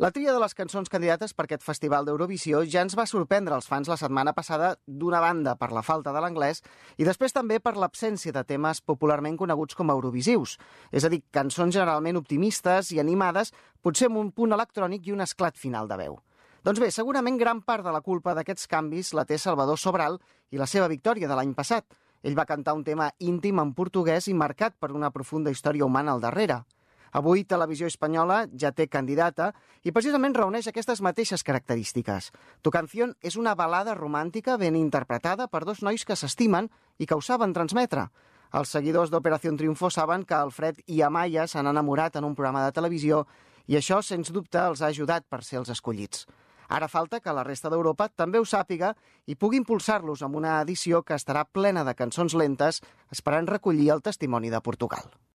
La tria de les cançons candidates per aquest festival d'Eurovisió ja ens va sorprendre els fans la setmana passada, d'una banda per la falta de l'anglès i després també per l'absència de temes popularment coneguts com a eurovisius, és a dir, cançons generalment optimistes i animades, potser amb un punt electrònic i un esclat final de veu. Doncs bé, segurament gran part de la culpa d'aquests canvis la té Salvador Sobral i la seva victòria de l'any passat. Ell va cantar un tema íntim en portuguès i marcat per una profunda història humana al darrere. Avui Televisió Espanyola ja té candidata i precisament reuneix aquestes mateixes característiques. Tu canción és una balada romàntica ben interpretada per dos nois que s'estimen i que ho saben transmetre. Els seguidors d'Operación Triunfo saben que Alfred i Amaya s'han enamorat en un programa de televisió i això, sens dubte, els ha ajudat per ser els escollits. Ara falta que la resta d'Europa també ho sàpiga i pugui impulsar-los amb una edició que estarà plena de cançons lentes, esperant recollir el testimoni de Portugal.